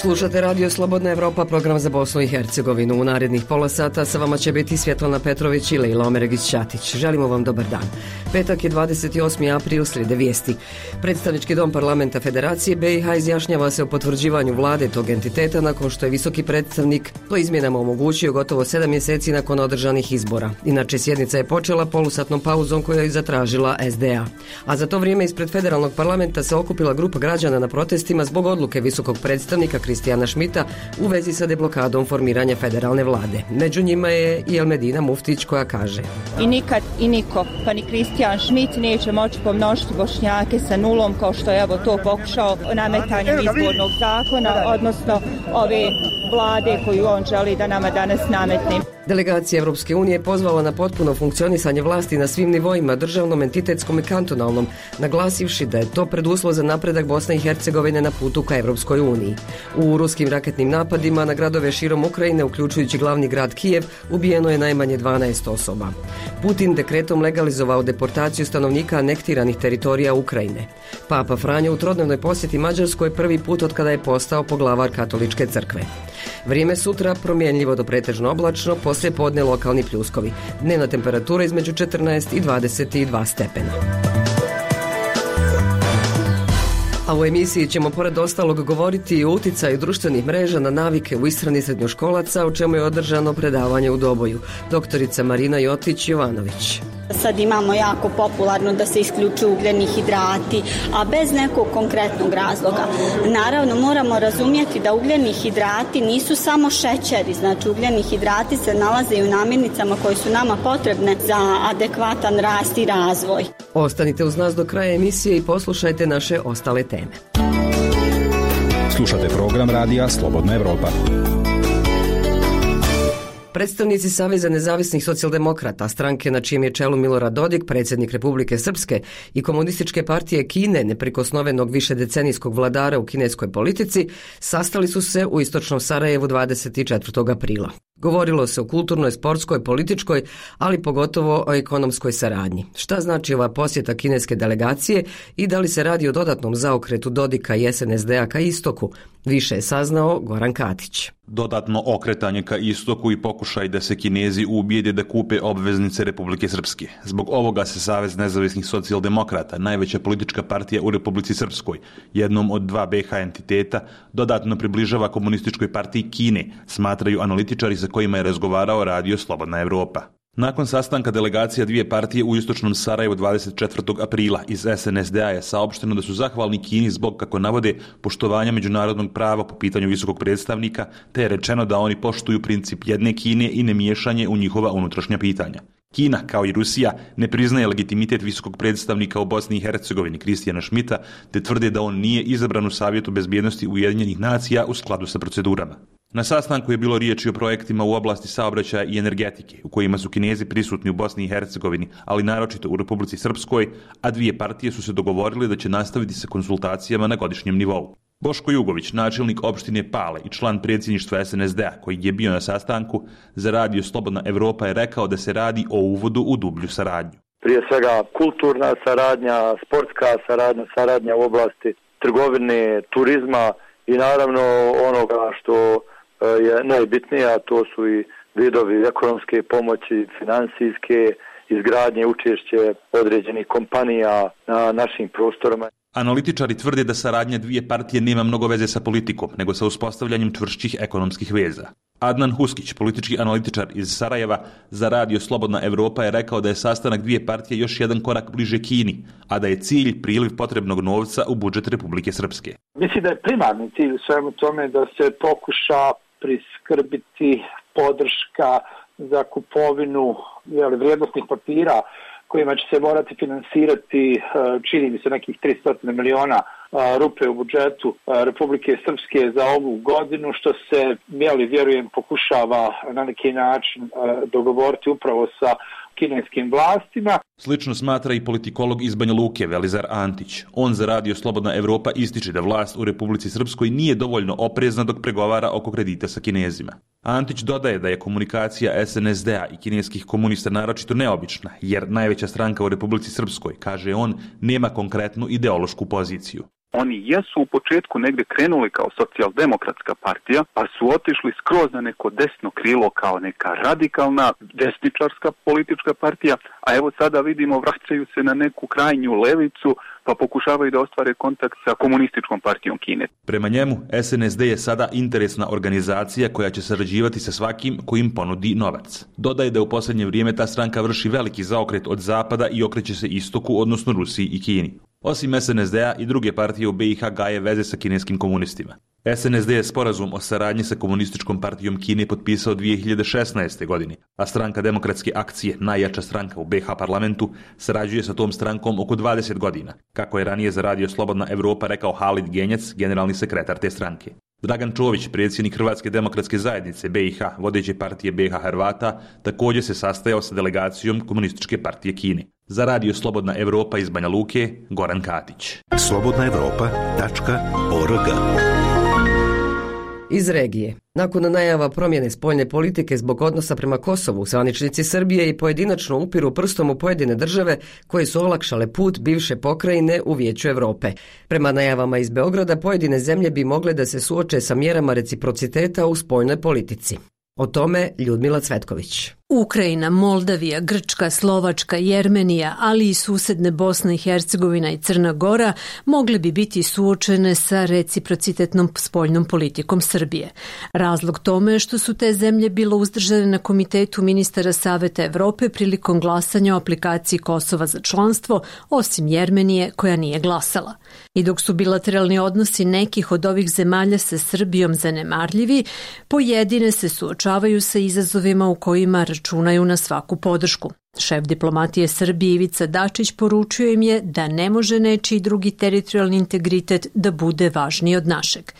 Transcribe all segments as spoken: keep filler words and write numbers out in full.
Slušate Radio Slobodna Evropa, program za Bosnu i Hercegovinu. U narednih pola sata sa vama će biti Svjetlana Petrović i Lejla Omeregić-Ćatić. Želimo vam dobar dan. Petak je dvadeset osmi april, slijede vijesti. Predstavnički dom parlamenta Federacije B i H izjašnjava se o potvrđivanju vlade tog entiteta nakon što je visoki predstavnik to izmjenama omogućio gotovo sedam mjeseci nakon održanih izbora. Inače, sjednica je počela polusatnom pauzom koju je zatražila S D A. A za to vrijeme ispred federalnog parlamenta se okupila grupa građana na protestima zbog odluke visokog predstavnika Kristijana Šmita u vezi sa deblokadom formiranja federalne vlade. Među njima je i Elmedina Muftić koja kaže: I nikad i niko, pa ni Kristijan Šmit neće moći pomnožiti Bošnjake sa nulom kao što je evo to pokušao nametanjem izbornog zakona, odnosno ove vlade koju on želi da nama danas nametne. Delegacija Evropske unije pozvala na potpuno funkcionisanje vlasti na svim nivoima, državnom, entitetskom i kantonalnom, naglasivši da je to preduslov za napredak Bosne i Hercegovine na putu ka Evropskoj uniji. U ruskim raketnim napadima na gradove širom Ukrajine, uključujući glavni grad Kijev, ubijeno je najmanje dvanaest osoba. Putin dekretom legalizovao deportaciju stanovnika anektiranih teritorija Ukrajine. Papa Franjo u trodnevnoj posjeti Mađarskoj prvi put od kada je postao poglavar katoličke crkve. Vrijeme sutra promjenljivo do pretežno oblačno, poslije podne lokalni pljuskovi. Dnevna temperatura između četrnaest i dvadeset dva stepena. A u emisiji ćemo pored ostalog govoriti i o utjecaju društvenih mreža na navike u ishrani srednjoškolaca, o čemu je održano predavanje u Doboju. Doktorica Marina Jotić-Jovanović. Sad imamo jako popularno da se isključuju ugljeni hidrati, a bez nekog konkretnog razloga. Naravno, moramo razumjeti da ugljeni hidrati nisu samo šećeri, znači ugljeni hidrati se nalaze i u namirnicama koje su nama potrebne za adekvatan rast i razvoj. Ostanite uz nas do kraja emisije i poslušajte naše ostale teme. Slušate program radija Slobodna Evropa. Predstavnici Saveza nezavisnih socijaldemokrata, stranke na čijem je čelu Milorad Dodik, predsjednik Republike Srpske, i Komunističke partije Kine, neprikosnovenog višedecenijskog vladara u kineskoj politici, sastali su se u istočnom Sarajevu dvadeset četvrtog aprila. Govorilo se o kulturnoj, sportskoj, političkoj, ali pogotovo o ekonomskoj saradnji. Šta znači ova posjeta kineske delegacije i da li se radi o dodatnom zaokretu Dodika i S N S D-a ka istoku? Više je saznao Goran Katić. Dodatno okretanje ka istoku i pokušaj da se Kinezi ubijede da kupe obveznice Republike Srpske. Zbog ovoga se Savez nezavisnih socijaldemokrata, najveća politička partija u Republici Srpskoj, jednom od dva B H entiteta, dodatno približava komunističkoj partiji Kine, smatraju analitičari sa kojima je razgovarao Radio Slobodna Evropa. Nakon sastanka delegacija dvije partije u istočnom Sarajevu dvadeset četvrtog aprila iz S N S D-a je saopšteno da su zahvalni Kini zbog, kako navode, poštovanja međunarodnog prava po pitanju visokog predstavnika, te je rečeno da oni poštuju princip jedne Kine i nemiješanje u njihova unutrašnja pitanja. Kina, kao i Rusija, ne priznaje legitimitet visokog predstavnika u Bosni i Hercegovini Kristijana Šmita, te tvrde da on nije izabran u Savjetu bezbjednosti Ujedinjenih nacija u skladu sa procedurama. Na sastanku je bilo riječi o projektima u oblasti saobraćaja i energetike, u kojima su Kinezi prisutni u Bosni i Hercegovini, ali naročito u Republici Srpskoj, a dvije partije su se dogovorile da će nastaviti sa konsultacijama na godišnjem nivou. Boško Jugović, načelnik opštine Pale i član predsjedništva S N S D-a, koji je bio na sastanku za Radio Slobodna Evropa, je rekao da se radi o uvodu u dublju saradnju. Prije svega kulturna saradnja, sportska saradnja, saradnja u oblasti trgovine, turizma i naravno onoga što je najbitnije, a to su i vidovi ekonomske pomoći, financijske, izgradnje, učešće određenih kompanija na našim prostorima. Analitičari tvrde da saradnja dvije partije nema mnogo veze sa politikom, nego sa uspostavljanjem čvršćih ekonomskih veza. Adnan Huskić, politički analitičar iz Sarajeva za Radio Slobodna Evropa, je rekao da je sastanak dvije partije još jedan korak bliže Kini, a da je cilj priliv potrebnog novca u budžet Republike Srpske. Mislim da je primarni cilj u svemu tome da se pokuša priskrbiti podrška za kupovinu jeli, vrijednosnih papira kojima će se morati finansirati, čini mi se, nekih tristo miliona rupe u budžetu Republike Srpske za ovu godinu, što se, jeli, vjerujem, pokušava na neki način dogovoriti upravo sa kineskim vlastima. Slično smatra i politikolog iz Banja Luke Velizar Antić. On za Radio Slobodna Evropa ističe da vlast u Republici Srpskoj nije dovoljno oprezna dok pregovara oko kredita sa Kinezima. Antić dodaje da je komunikacija S N S D-a i kineskih komunista naročito neobična, jer najveća stranka u Republici Srpskoj, kaže on, nema konkretnu ideološku poziciju. Oni jesu u početku negdje krenuli kao socijaldemokratska partija, pa su otišli skroz na neko desno krilo kao neka radikalna desničarska politička partija, a evo sada vidimo vraćaju se na neku krajnju levicu, pa pokušavaju da ostvare kontakt sa komunističkom partijom Kine. Prema njemu, S N S D je sada interesna organizacija koja će sarađivati sa svakim ko im ponudi novac. Dodaje da u posljednje vrijeme ta stranka vrši veliki zaokret od zapada i okreće se istoku, odnosno Rusiji i Kini. Osim S N S D-a i druge partije u B i H gaje veze sa kineskim komunistima. S N S D je sporazum o saradnji sa komunističkom partijom Kine potpisao dvije hiljade šesnaeste. godine, a stranka Demokratske akcije, najjača stranka u B i H parlamentu, sarađuje sa tom strankom oko dvadeset godina, kako je ranije za Radio Slobodna Evropa rekao Halid Genjac, generalni sekretar te stranke. Dragan Čović, predsjednik Hrvatske demokratske zajednice B i H, vodeće partije B i H Hrvata, također se sastajao sa delegacijom komunističke partije Kine. Za Radio Slobodna Evropa iz Banja Luke, Goran Katić. slobodna evropa tačka org. Iz regije. Nakon najava promjene spoljne politike zbog odnosa prema Kosovu, zvaničnici Srbije i pojedinačno upiru prstom u pojedine države koje su olakšale put bivše pokrajine u Vijeću Europe. Prema najavama iz Beograda, pojedine zemlje bi mogle da se suoče sa mjerama reciprociteta u spoljnoj politici. O tome Ljudmila Cvetković. Ukrajina, Moldavija, Grčka, Slovačka, Jermenija, ali i susedne Bosna i Hercegovina i Crna Gora mogle bi biti suočene sa reciprocitetnom spoljnom politikom Srbije. Razlog tome je što su te zemlje bilo uzdržane na Komitetu ministara Saveta Evrope prilikom glasanja o aplikaciji Kosova za članstvo, osim Jermenije koja nije glasala. I dok su bilateralni odnosi nekih od ovih zemalja sa Srbijom zanemarljivi, pojedine se suočavaju sa izazovima u kojima računaju na svaku podršku. Šef diplomatije Srbije Ivica Dačić poručio im je da ne može nečiji drugi teritorijalni integritet da bude važniji od našeg.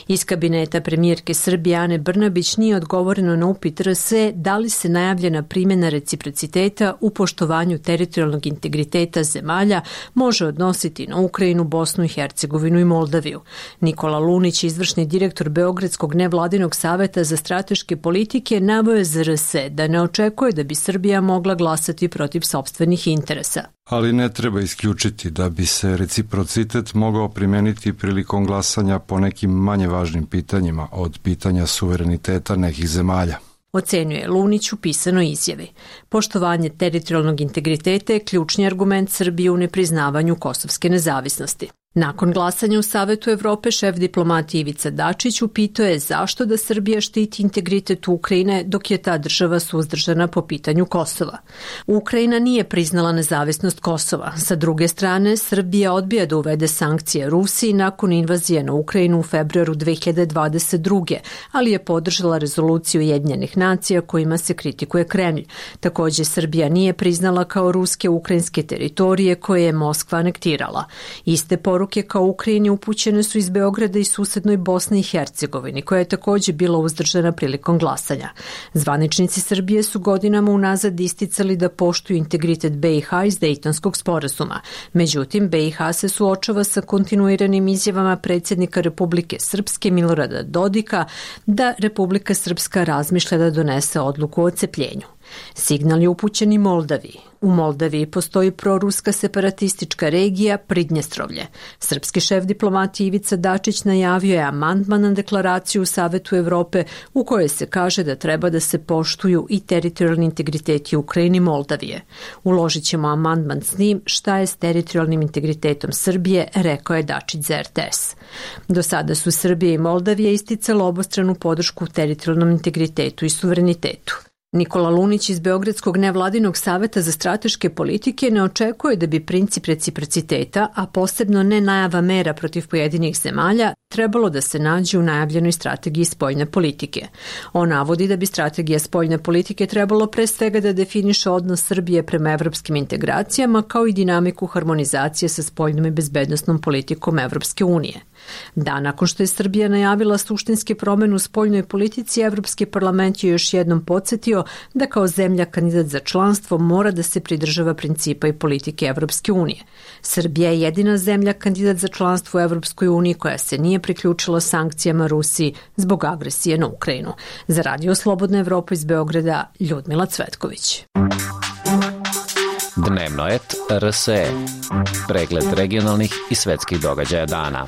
Iz kabineta premijerke Srbije Ane Brnabić nije odgovoreno na upit R S da li se najavljena primjena reciprociteta u poštovanju teritorijalnog integriteta zemalja može odnositi na Ukrajinu, Bosnu i Hercegovinu i Moldaviju. Nikola Lunić, izvršni direktor Beogradskog nevladinog saveta za strateške politike, naveo je za R S da ne očekuje da bi Srbija mogla glasati protiv sopstvenih interesa. Ali ne treba isključiti da bi se reciprocitet mogao primijeniti prilikom glasanja po nekim manje važnim pitanjima od pitanja suvereniteta nekih zemalja. Ocenjuje Lunić u pisanoj izjavi. Poštovanje teritorijalnog integriteta je ključni argument Srbije u nepriznavanju kosovske nezavisnosti. Nakon glasanja u Savetu Evrope, šef diplomatije Ivica Dačić upitao je zašto da Srbija štiti integritet Ukrajine dok je ta država suzdržana po pitanju Kosova. Ukrajina nije priznala nezavisnost Kosova. Sa druge strane, Srbija odbija da uvede sankcije Rusiji nakon invazije na Ukrajinu u februaru dve hiljade dvadeset druge. ali je podržala rezoluciju Ujedinjenih nacija kojima se kritikuje Kremlj. Također, Srbija nije priznala kao ruske ukrajinske teritorije koje je Moskva anektirala. Iste poruke kao Ukrajini upućene su iz Beograda i susednoj Bosni i Hercegovini, koja je također bila uzdržana prilikom glasanja. Zvaničnici Srbije su godinama unazad isticali da poštuju integritet B i H iz Dejtonskog sporazuma. Međutim, B i H se suočava sa kontinuiranim izjavama predsjednika Republike Srpske Milorada Dodika da Republika Srpska razmišlja da donese odluku o odcepljenju. Signal je upućen i Moldaviji. U Moldaviji postoji proruska separatistička regija Pridnjestrovlje. Srpski šef diplomatije Ivica Dačić najavio je amandman na deklaraciju u Savetu Evrope u kojoj se kaže da treba da se poštuju i teritorijalni integriteti Ukrajine i Moldavije. Uložit ćemo amandman s njim šta je s teritorijalnim integritetom Srbije, rekao je Dačić za R T S. Do sada su Srbija i Moldavija isticale obostranu podršku teritorijalnom integritetu i suverenitetu. Nikola Lunić iz Beogradskog nevladinog saveta za strateške politike ne očekuje da bi princip reciprociteta, a posebno ne najava mera protiv pojedinih zemalja, trebalo da se nađe u najavljenoj strategiji spoljne politike. On navodi da bi strategija spoljne politike trebalo pre svega da definiše odnos Srbije prema evropskim integracijama kao i dinamiku harmonizacije sa spoljnom i bezbednosnom politikom Evropske unije. Da, nakon što je Srbija najavila suštinske promjene u spoljnoj politici, Evropski parlament je još jednom podsjetio da kao zemlja kandidat za članstvo mora da se pridržava principa i politike Evropske unije. Srbija je jedina zemlja kandidat za članstvo u Evropskoj uniji koja se nije priključila sankcijama Rusiji zbog agresije na Ukrajinu. Za Radio Slobodna Evropa iz Beograda, Ljudmila Cvetković. Dnevnik Dnevnoet R S E. Pregled regionalnih i svetskih događaja dana.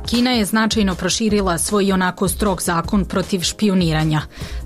Kina je značajno proširila svoj onako strog zakon protiv špijuniranja,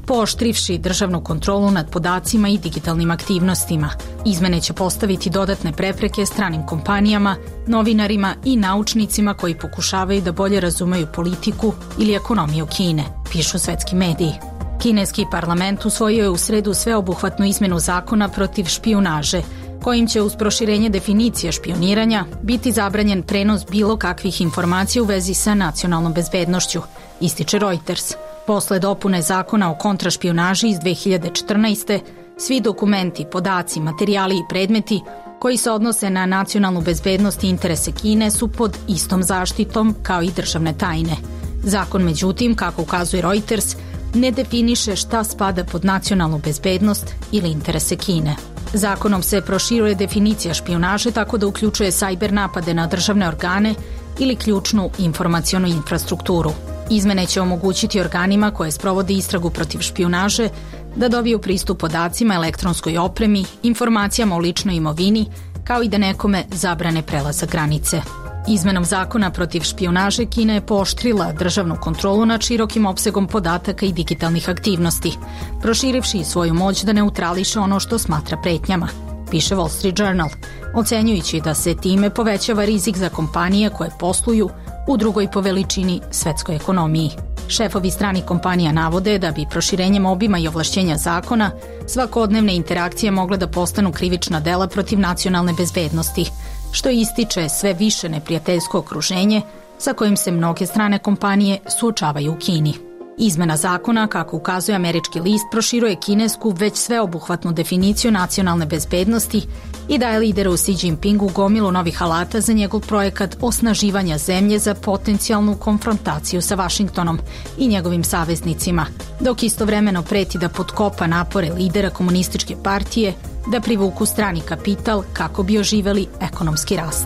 pooštrivši državnu kontrolu nad podacima i digitalnim aktivnostima. Izmene će postaviti dodatne prepreke stranim kompanijama, novinarima i naučnicima koji pokušavaju da bolje razumeju politiku ili ekonomiju Kine, pišu svetski mediji. Kineski parlament usvojio je u sredu sveobuhvatnu izmenu zakona protiv špijunaže, kojim će uz proširenje definicije špijuniranja biti zabranjen prenos bilo kakvih informacija u vezi sa nacionalnom bezbednošću, ističe Reuters. Posle dopune zakona o kontrašpijunaži iz dve hiljade četrnaeste. svi dokumenti, podaci, materijali i predmeti koji se odnose na nacionalnu bezbednost i interese Kine su pod istom zaštitom kao i državne tajne. Zakon, međutim, kako ukazuje Reuters, ne definiše šta spada pod nacionalnu bezbednost ili interese Kine. Zakonom se proširuje definicija špijunaže tako da uključuje sajber napade na državne organe ili ključnu informacionu infrastrukturu. Izmene će omogućiti organima koje sprovode istragu protiv špijunaže da dobiju pristup podacima, elektronskoj opremi, informacijama o ličnoj imovini, kao i da nekome zabrane prelazak granice. Izmenom zakona protiv špijunaže Kina je pooštrila državnu kontrolu nad širokim opsegom podataka i digitalnih aktivnosti, proširivši svoju moć da neutrališe ono što smatra pretnjama, piše Wall Street Journal, ocenjujući da se time povećava rizik za kompanije koje posluju u drugoj po veličini svetskoj ekonomiji. Šefovi stranih kompanija navode da bi proširenjem obima i ovlašćenja zakona svakodnevne interakcije mogle da postanu krivična dela protiv nacionalne bezbednosti, što ističe sve više neprijateljsko okruženje sa kojim se mnoge strane kompanije suočavaju u Kini. Izmena zakona, kako ukazuje američki list, proširuje kinesku već sveobuhvatnu definiciju nacionalne bezbednosti i daje lideru Xi Jinpingu gomilu novih alata za njegov projekat osnaživanja zemlje za potencijalnu konfrontaciju sa Vašingtonom i njegovim saveznicima, dok istovremeno preti da potkopa napore lidera komunističke partije da privuku strani kapital kako bi oživeli ekonomski rast.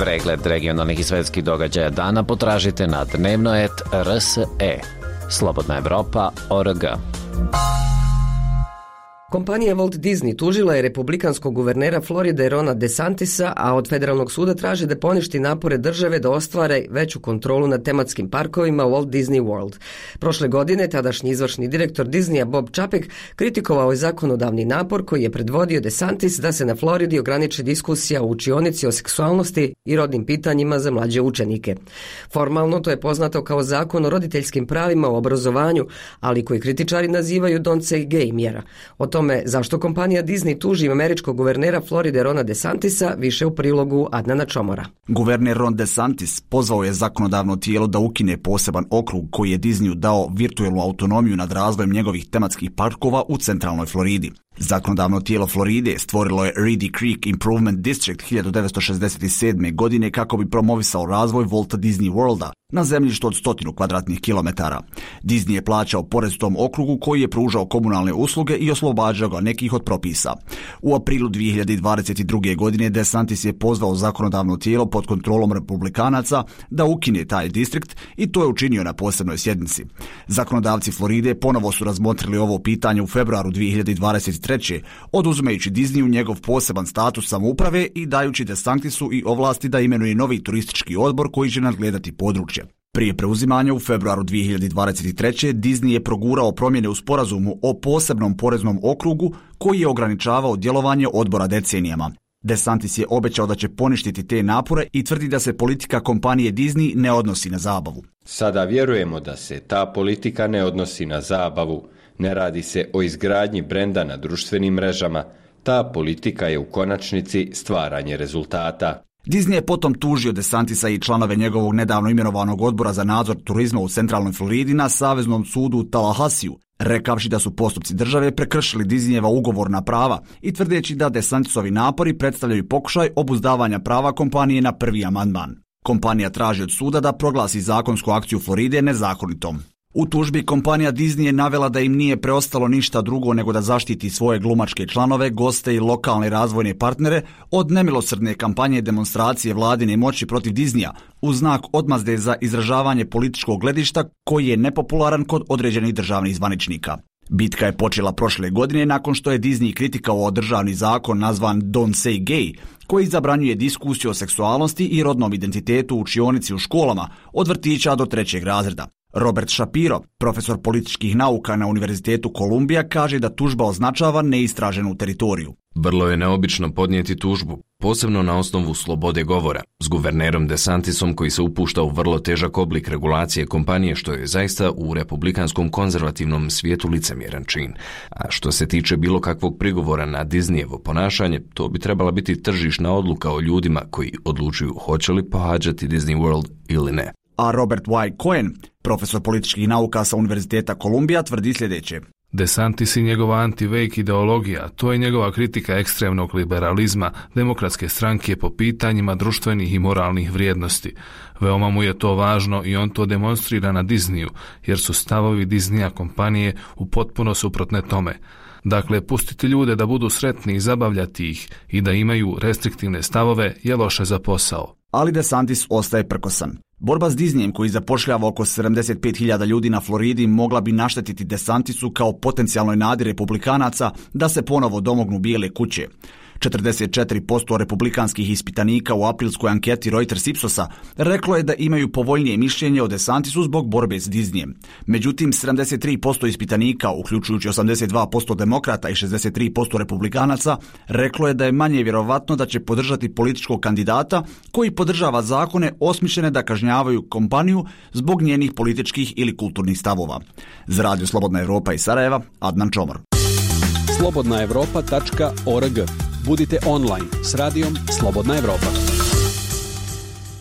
Pregled regionalnih i svetskih događaja dana potražite na Dnevnoet R S E. Slobodna Evropa org. Kompanija Walt Disney tužila je republikanskog guvernera Floride Rona DeSantisa, a od federalnog suda traži da poništi napore države da ostvare veću kontrolu nad tematskim parkovima Walt Disney World. Prošle godine tadašnji izvršni direktor Disneya Bob Chapek kritikovao je zakonodavni napor koji je predvodio DeSantis da se na Floridi ograniči diskusija u učionici o seksualnosti i rodnim pitanjima za mlađe učenike. Formalno to je poznato kao zakon o roditeljskim pravima u obrazovanju, ali koji kritičari nazivaju Don't Say Gay mjera. O tome zašto kompanija Disney tuži američkog guvernera Floride Rona DeSantisa više u prilogu Adnana Čomora. Guverner Ron DeSantis pozvao je zakonodavno tijelo da ukine poseban okrug koji je Disneyu dao virtualnu autonomiju nad razvojem njegovih tematskih parkova u centralnoj Floridi. Zakonodavno tijelo Floride stvorilo je Reedy Creek Improvement District hiljadu devetsto šezdeset sedme. godine kako bi promovisao razvoj Walt Disney Worlda na zemljištu od stotinu kvadratnih kilometara. Disney je plaćao porez tom okrugu koji je pružao komunalne usluge i oslobađao ga nekih od propisa. U aprilu dvije hiljade dvadeset druge. godine DeSantis je pozvao zakonodavno tijelo pod kontrolom republikanaca da ukine taj distrikt i to je učinio na posebnoj sjednici. Zakonodavci Floride ponovo su razmotrili ovo pitanje u februaru dvije hiljade dvadeset treće. oduzimajući Disneyu njegov poseban status samouprave i dajući DeSantisu i ovlasti da imenuje novi turistički odbor koji će nadgledati područje. Prije preuzimanja u februaru dvije hiljade dvadeset treće. Disney je progurao promjene u sporazumu o posebnom poreznom okrugu koji je ograničavao djelovanje odbora decenijama. DeSantis je obećao da će poništiti te napore i tvrdi da se politika kompanije Disney ne odnosi na zabavu. Sada vjerujemo da se ta politika ne odnosi na zabavu. Ne radi se o izgradnji brenda na društvenim mrežama. Ta politika je u konačnici stvaranje rezultata. Disney je potom tužio DeSantisa i članove njegovog nedavno imenovanog odbora za nadzor turizma u centralnoj Floridi na Saveznom sudu u Tallahassiju, rekavši da su postupci države prekršili Disneyjeva ugovorna prava i tvrdeći da DeSantisovi napori predstavljaju pokušaj obuzdavanja prava kompanije na prvi amandman. Kompanija traži od suda da proglasi zakonsku akciju Floride nezakonitom. U tužbi kompanija Disney je navela da im nije preostalo ništa drugo nego da zaštiti svoje glumačke članove, goste i lokalne razvojne partnere od nemilosrdne kampanje demonstracije vladine moći protiv Disneya u znak odmazde za izražavanje političkog gledišta koji je nepopularan kod određenih državnih zvaničnika. Bitka je počela prošle godine nakon što je Disney kritikovao državni zakon nazvan Don't Say Gay, koji zabranjuje diskusiju o seksualnosti i rodnom identitetu u učionici u školama od vrtića do trećeg razreda. Robert Shapiro, profesor političkih nauka na Univerzitetu Kolumbija, kaže da tužba označava neistraženu teritoriju. Vrlo je neobično podnijeti tužbu, posebno na osnovu slobode govora, s guvernerom DeSantisom koji se upušta u vrlo težak oblik regulacije kompanije, što je zaista u republikanskom konzervativnom svijetu licemjeran čin. A što se tiče bilo kakvog prigovora na Disneyevo ponašanje, to bi trebala biti tržišna odluka o ljudima koji odlučuju hoće li pohađati Disney World ili ne. A Robert Y. Cohen, profesor političkih nauka sa Univerziteta Kolumbija, tvrdi sljedeće. DeSantis i njegova anti-vejk ideologija, to je njegova kritika ekstremnog liberalizma, demokratske stranke po pitanjima društvenih i moralnih vrijednosti. Veoma mu je to važno i on to demonstrira na Disneyu, jer su stavovi Disneya kompanije u potpuno suprotne tome. Dakle, pustiti ljude da budu sretni i zabavljati ih i da imaju restriktivne stavove je loše za posao. Ali DeSantis ostaje prkosan. Borba s Disneyem, koji zapošljava oko sedamdeset pet hiljada ljudi na Floridi, mogla bi naštetiti DeSantisu kao potencijalnoj nadi republikanaca da se ponovo domognu Bijele kuće. četrdeset četiri posto republikanskih ispitanika u aprilskoj anketi Reuters Ipsosa reklo je da imaju povoljnije mišljenje o DeSantisu zbog borbe s Disneyem. Međutim, sedamdeset tri posto ispitanika, uključujući osamdeset dva posto demokrata i šezdeset tri posto republikanaca, reklo je da je manje vjerovatno da će podržati političkog kandidata koji podržava zakone osmišljene da kažnjavaju kompaniju zbog njenih političkih ili kulturnih stavova. Za Radio Slobodna Evropa iz Sarajeva, Adnan Čomor. slobodna evropa tačka org. Budite online s radijom Slobodna Evropa.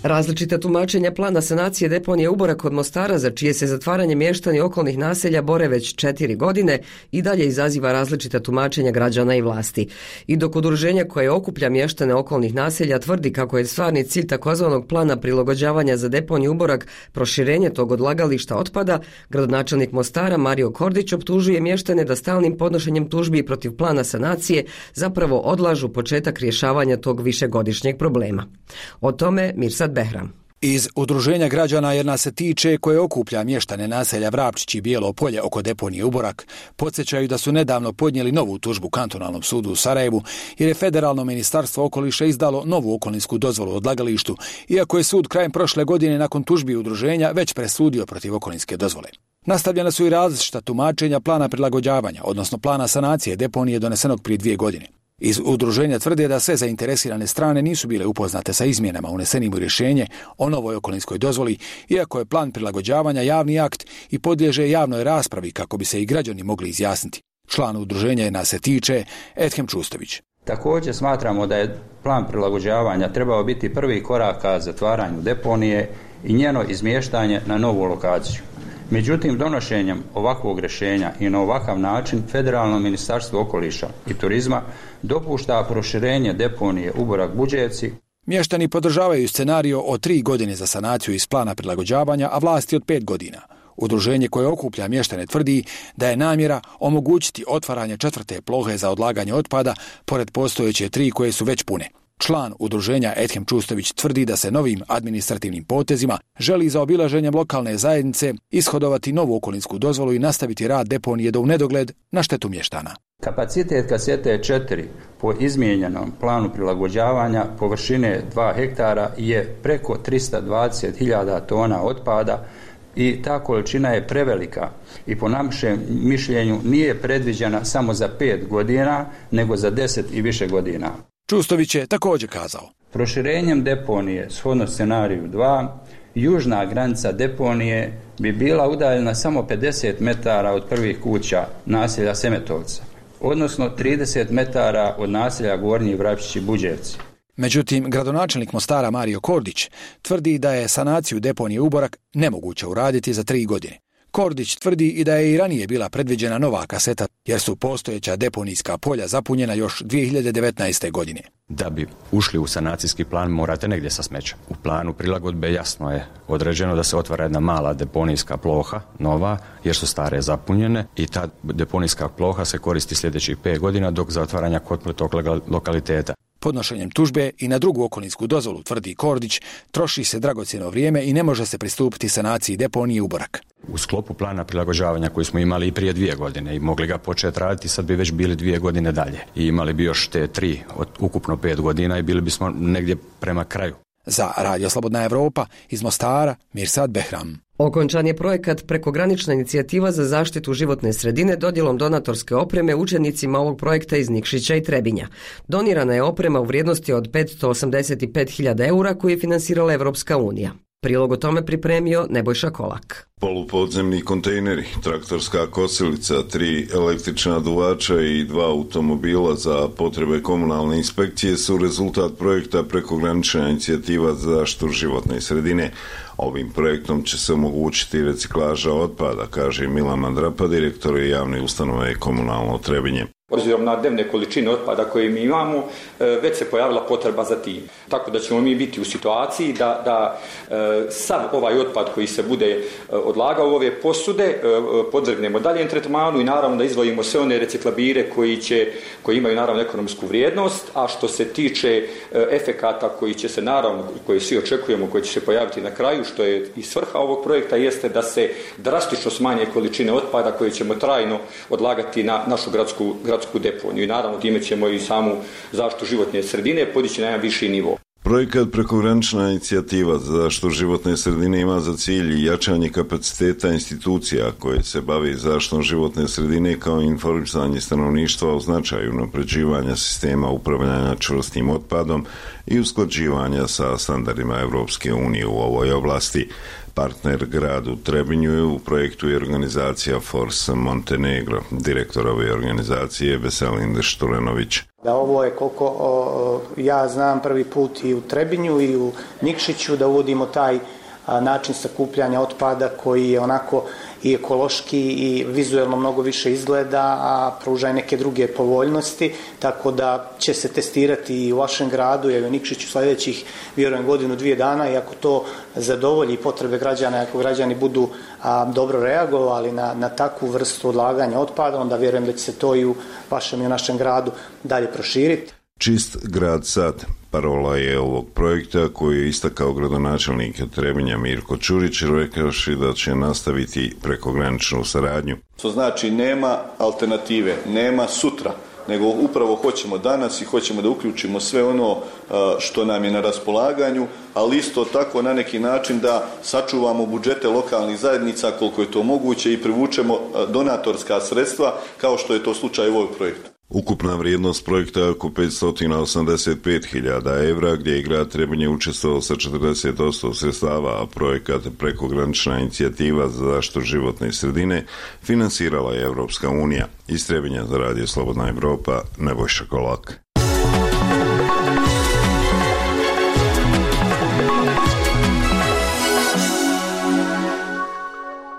Različita tumačenja plana sanacije deponije Uborak kod Mostara, za čije se zatvaranje mještani okolnih naselja bore već četiri godine, i dalje izaziva različita tumačenja građana i vlasti. I dok udruženja koje okuplja mještane okolnih naselja tvrdi kako je stvarni cilj takozvanog plana prilagođavanja za deponiju Uborak proširenje tog odlagališta otpada, gradonačelnik Mostara Mario Kordić optužuje mještane da stalnim podnošenjem tužbi protiv plana sanacije zapravo odlažu početak rješavanja tog višegodišnjeg problema. O tome Mirsad Behram. Iz udruženja građana Jer nas se tiče, koje okuplja mještane naselja Vrapčić i Bijelo polje oko deponije Uborak, podsjećaju da su nedavno podnijeli novu tužbu kantonalnom sudu u Sarajevu, jer je federalno ministarstvo okoliša izdalo novu okolinsku dozvolu odlagalištu, iako je sud krajem prošle godine nakon tužbi udruženja već presudio protiv okolinske dozvole. Nastavljena su i različita tumačenja plana prilagođavanja, odnosno plana sanacije deponije donesenog prije dvije godine. Iz udruženja tvrde da sve zainteresirane strane nisu bile upoznate sa izmjenama unesenim u rješenje o novoj okolinskoj dozvoli, iako je plan prilagođavanja javni akt i podliježe javnoj raspravi kako bi se i građani mogli izjasniti. Član udruženja Jer nas se tiče, Edhem Čustović. Također smatramo da je plan prilagođavanja trebao biti prvi korak ka zatvaranju deponije i njeno izmještanje na novu lokaciju. Međutim, donošenjem ovakvog rješenja i na ovakav način Federalno ministarstvo okoliša i turizma dopušta proširenje deponije Uborak Buđevci. Mještani podržavaju scenario od tri godine za sanaciju iz plana prilagođavanja, a vlasti od pet godina. Udruženje koje okuplja mještane tvrdi da je namjera omogućiti otvaranje četvrte plohe za odlaganje otpada pored postojeće tri koje su već pune. Član udruženja Edhem Čustović tvrdi da se novim administrativnim potezima želi za obilaženjem lokalne zajednice ishodovati novu okolinsku dozvolu i nastaviti rad deponije do u nedogled na štetu mještana. Kapacitet kasete četiri po izmijenjenom planu prilagođavanja površine dva hektara je preko tristo dvadeset hiljada tona otpada i ta količina je prevelika i po našem mišljenju nije predviđena samo za pet godina, nego za deset i više godina. Čustović je također kazao. Proširenjem deponije, shodno scenariju dva, južna granica deponije bi bila udaljena samo pedeset metara od prvih kuća naselja Semetovca, odnosno trideset metara od naselja Gornji Vrapčić i Buđevci. Međutim, gradonačelnik Mostara Mario Kordić tvrdi da je sanaciju deponije Uborak nemoguće uraditi za tri godine. Kordić tvrdi i da je i ranije bila predviđena nova kaseta, jer su postojeća deponijska polja zapunjena još dvije hiljade devetnaeste. godine. Da bi ušli u sanacijski plan morate negdje sa smećem. U planu prilagodbe jasno je određeno da se otvara jedna mala deponijska ploha, nova, jer su stare zapunjene i ta deponijska ploha se koristi sljedećih pet godina dok za otvaranja kompletnog lokaliteta. Podnošenjem tužbe i na drugu okolinsku dozvolu, tvrdi Kordić, troši se dragocjeno vrijeme i ne može se pristupiti sanaciji deponije Uborak. U sklopu plana prilagođavanja koji smo imali i prije dvije godine i mogli ga početi raditi, sad bi već bili dvije godine dalje. I imali bi još te tri od ukupno pet godina i bili bismo negdje prema kraju. Za Radio Slobodna Evropa iz Mostara, Mirsad Behram. Okončan je projekat Prekogranična inicijativa za zaštitu životne sredine dodjelom donatorske opreme učenicima ovog projekta iz Nikšića i Trebinja. Donirana je oprema u vrijednosti od petsto osamdeset pet hiljada eura koju je finansirala Evropska unija. Prilog o tome pripremio Nebojša Kolak. Polupodzemni kontejneri, traktorska kosilica, tri električna duvača i dva automobila za potrebe komunalne inspekcije su rezultat projekta Prekogranična inicijativa za zaštitu životne sredine. Ovim projektom će se omogućiti reciklaža otpada, kaže Milan Mandrapa, direktor javne ustanove Komunalno Trebinje. Obzirom na dnevne količine otpada koje mi imamo, već se pojavila potreba za tim. Tako da ćemo mi biti u situaciji da, da sav ovaj otpad koji se bude odlagao u ove posude podvrgnemo daljem tretmanu i naravno da izdvojimo sve one reciklabire koji, će, koji imaju naravno ekonomsku vrijednost, a što se tiče efekata koji će se naravno, koji svi očekujemo, koji će se pojaviti na kraju, što je i svrha ovog projekta, jeste da se drastično smanje količine otpada koje ćemo trajno odlagati na našu gradsku, gradsku deponiju i naravno time ćemo i samu zaštitu životne sredine podići na jedan viši nivo. Projekat Prekogranična inicijativa za zaštitu životne sredine ima za cilj jačanje kapaciteta institucija koje se bavi zaštitom životne sredine kao informisanje stanovništva o značaju unapređivanja sistema upravljanja čvrstim otpadom i usklađivanja sa standardima Evropske unije u ovoj oblasti. Partner gradu Trebinju u projektu je organizacija Force Montenegro. Direktor ove organizacije je Veselin Šturenović. Da ovo je, koliko o, ja znam, prvi put i u Trebinju i u Nikšiću da uvodimo taj a, način sakupljanja otpada koji je onako i ekološki i vizuelno mnogo više izgleda, a pruža i neke druge povoljnosti, tako da će se testirati i u vašem gradu i u Nikšiću sljedećih, vjerujem, godinu, dvije dana i ako to zadovolji potrebe građana, ako građani budu a, dobro reagovali na, na takvu vrstu odlaganja otpada, onda vjerujem da će se to i u vašem i u našem gradu dalje proširiti. Čist grad sad. Parola je ovog projekta koji je istakao gradonačelnik Trebinja Mirko Čurić, rekavši da će nastaviti prekograničnu saradnju. To znači nema alternative, nema sutra, nego upravo hoćemo danas i hoćemo da uključimo sve ono što nam je na raspolaganju, ali isto tako na neki način da sačuvamo budžete lokalnih zajednica koliko je to moguće i privučemo donatorska sredstva kao što je to slučaj u ovom projektu. Ukupna vrijednost projekta je oko petsto osamdeset pet hiljada evra, gdje je grad Trebinje učestvovao sa četrdeset posto sredstava, a projekat Prekogranična inicijativa za zaštitu životne sredine finansirala je Evropska unija. Iz Trebinja za Radio Slobodna Evropa, Nebojša Kolak.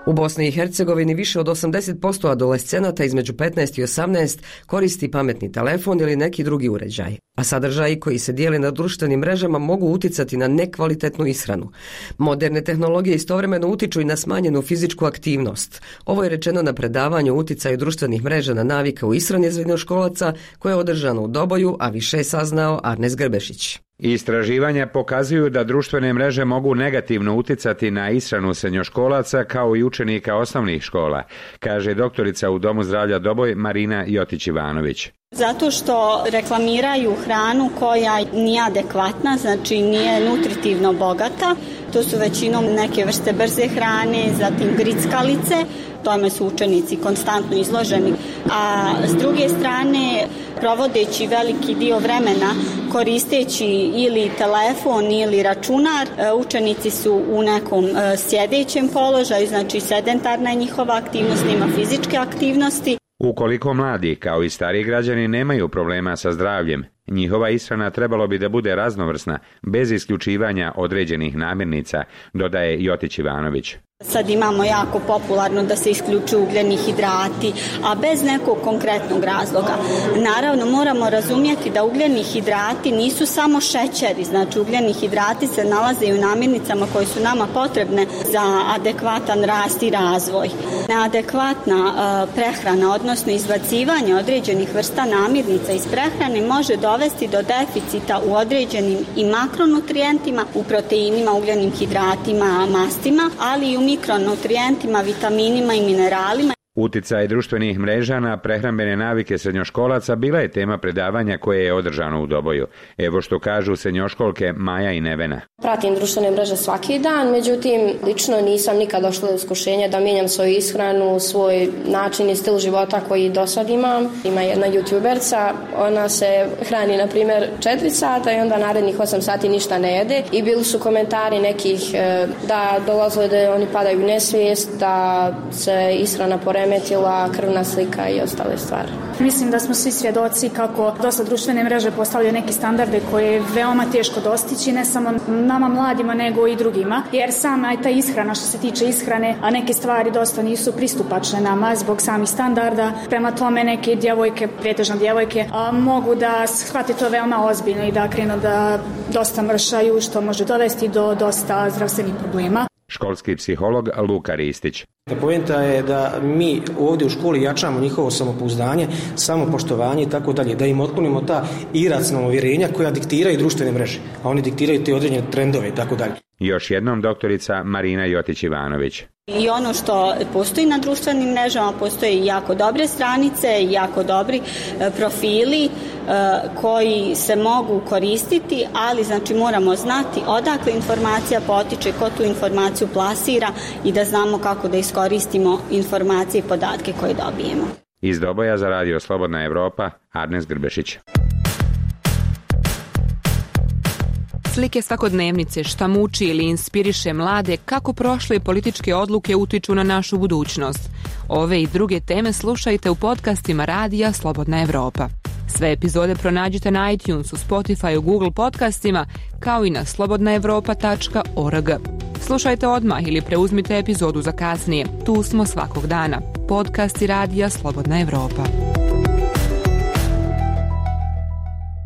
U Bosni i Hercegovini više od osamdeset posto adolescenata između petnaest i osamnaest koristi pametni telefon ili neki drugi uređaj, a sadržaji koji se dijele na društvenim mrežama mogu uticati na nekvalitetnu ishranu. Moderne tehnologije istovremeno utiču i na smanjenu fizičku aktivnost. Ovo je rečeno na predavanju o uticaju društvenih mreža na navike u ishrani srednjoškolaca koje je održano u Doboju, a više je saznao Arnes Grbešić. Istraživanja pokazuju da društvene mreže mogu negativno uticati na ishranu srednjoškolaca kao i učenika osnovnih škola, kaže doktorica u Domu zdravlja Doboj Marina Jotić-Ivanović. Zato što reklamiraju hranu koja nije adekvatna, znači nije nutritivno bogata. To su većinom neke vrste brze hrane, zatim grickalice, tome su učenici konstantno izloženi. A s druge strane, provodeći veliki dio vremena koristeći ili telefon ili računar, učenici su u nekom sjedećem položaju, znači sedentarna je njihova aktivnost, nema fizičke aktivnosti. Ukoliko mladi, kao i stariji građani, nemaju problema sa zdravljem, njihova ishrana trebalo bi da bude raznovrsna, bez isključivanja određenih namirnica, dodaje Jotić Ivanović. Sad imamo jako popularno da se isključuju ugljeni hidrati, a bez nekog konkretnog razloga. Naravno, moramo razumjeti da ugljeni hidrati nisu samo šećeri, znači ugljeni hidrati se nalaze i u namirnicama koje su nama potrebne za adekvatan rast i razvoj. Neadekvatna uh, prehrana, odnosno izbacivanje određenih vrsta namirnica iz prehrane može dovesti do deficita u određenim i makronutrijentima, u proteinima, ugljenim hidratima, mastima, ali i u mikronutrijentima, vitaminima i mineralima. Uticaj društvenih mreža na prehrambene navike srednjoškolaca bila je tema predavanja koje je održano u Doboju. Evo što kažu srednjoškolke Maja i Nevena. Pratim društvene mreže svaki dan, međutim, lično nisam nikad došla do iskušenja da mijenjam svoju ishranu, svoj način i stil života koji do sad imam. Ima jedna youtuberca, ona se hrani, na primjer, četiri sata i onda narednih osam sati ništa ne jede. I bili su komentari nekih da dolazili da oni padaju u nesvijest, da se ishrana poremetila, krvna slika i ostale stvari. Mislim da smo svi svjedoci kako dosta društvene mreže postavljaju neke standarde koje je veoma teško dostići, ne samo nama mladima nego i drugima, jer sama ta ishrana, što se tiče ishrane, a neke stvari dosta nisu pristupačne nama zbog samih standarda. Prema tome neke djevojke, pretežno djevojke, a, mogu da shvate to veoma ozbiljno i da krenu da dosta mršaju, što može dovesti do dosta zdravstvenih problema. Školski psiholog Luka Ristić. Poenta je da mi ovdje u školi jačamo njihovo samopouzdanje, samopoštovanje i tako dalje, da im otklonimo ta iracionalna uvjerenja koja diktiraju društvene mreže, a oni diktiraju te određene trendove i tako dalje. Još jednom doktorica Marina Jotić-Ivanović. I ono što postoji na društvenim mrežama, postoje jako dobre stranice, jako dobri profili koji se mogu koristiti, ali znači moramo znati odakle informacija potiče, ko tu informaciju plasira i da znamo kako da iskoristimo informacije i podatke koje dobijemo. Iz Doboja za Radio Slobodna Evropa, Arnes Grbešić. Slike svakodnevnice, šta muči ili inspiriše mlade, kako prošle političke odluke utiču na našu budućnost. Ove i druge teme slušajte u podcastima Radija Slobodna Evropa. Sve epizode pronađite na iTunesu, Spotify, Google podcastima, kao i na slobodna evropa tačka org. Slušajte odmah ili preuzmite epizodu za kasnije. Tu smo svakog dana. Podcasti Radija Slobodna Evropa.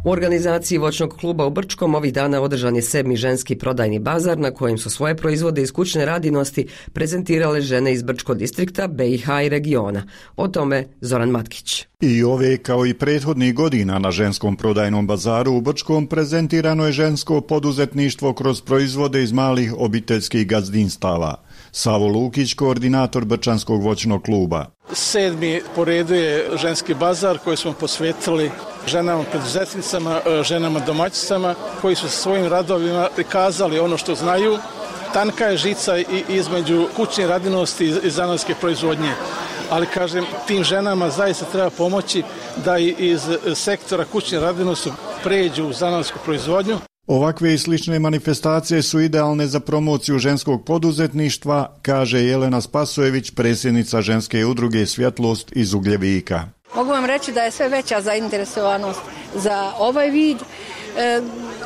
U organizaciji voćnog kluba u Brčkom ovih dana održan je sedmi ženski prodajni bazar na kojem su svoje proizvode iz kućne radinosti prezentirale žene iz Brčkog distrikta, B i H i regiona. O tome Zoran Matkić. I ove kao i prethodnih godina na ženskom prodajnom bazaru u Brčkom prezentirano je žensko poduzetništvo kroz proizvode iz malih obiteljskih gazdinstava. Savo Lukić, koordinator Brčanskog voćnog kluba. Sedmi po redu je ženski bazar koji smo posvetili ženama preduzetnicama, ženama domaćicama koji su sa svojim radovima prikazali ono što znaju. Tanka je žica i između kućne radinosti i zanatske proizvodnje. Ali kažem, tim ženama zaista treba pomoći da iz sektora kućne radinosti pređu u zanatsku proizvodnju. Ovakve i slične manifestacije su idealne za promociju ženskog poduzetništva, kaže Jelena Spasojević, predsjednica ženske udruge Svjetlost iz Ugljevika. Mogu vam reći da je sve veća zainteresovanost za ovaj vid, e,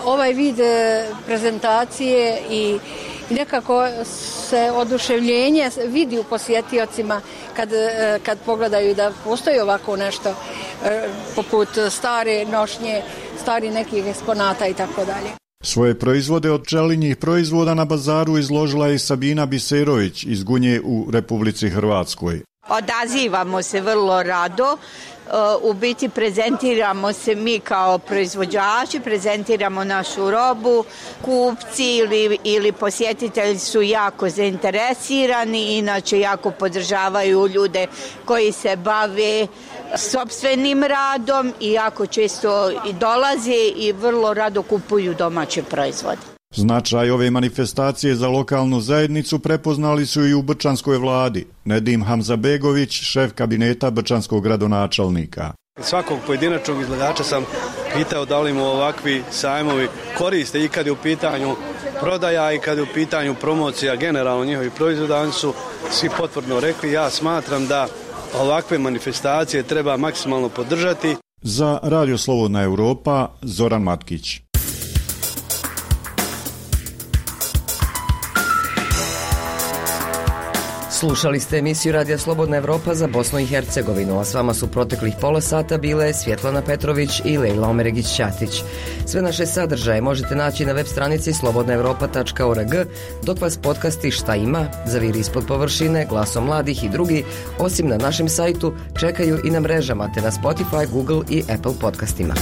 ovaj vid e, prezentacije i I nekako se oduševljenje vidi u posjetiocima kad, kad pogledaju da postoji ovako nešto poput stare nošnje, stari nekih eksponata i tako dalje. Svoje proizvode od pčelinjih proizvoda na bazaru izložila je Sabina Biserović iz Gunje u Republici Hrvatskoj. Odazivamo se vrlo rado, u biti prezentiramo se mi kao proizvođači, prezentiramo našu robu, kupci ili, ili posjetitelji su jako zainteresirani, inače jako podržavaju ljude koji se bave sopstvenim radom i jako često i dolaze i vrlo rado kupuju domaće proizvode. Značaj ove manifestacije za lokalnu zajednicu prepoznali su i u Brčanskoj vladi. Nedim Hamzabegović, šef kabineta brčanskog gradonačelnika. Svakog pojedinačnog izlagača sam pitao da li mu ovakvi sajmovi koriste i kad je u pitanju prodaja i kad je u pitanju promocija generalno njihovih proizvoda. Oni su svi potvrdno rekli, ja smatram da ovakve manifestacije treba maksimalno podržati. Za Radio Slobodna Evropa, Zoran Matkić. Slušali ste emisiju Radija Slobodna Evropa za Bosnu i Hercegovinu, a s vama su proteklih pola sata bile Svjetlana Petrović i Lejla Omeregić-Ćatić. Sve naše sadržaje možete naći na web stranici slobodna evropa tačka org, dok vas podcasti Šta ima, Zaviri ispod površine, Glasom mladih i drugi, osim na našem sajtu, čekaju i na mrežama te na Spotify, Google i Apple podcastima.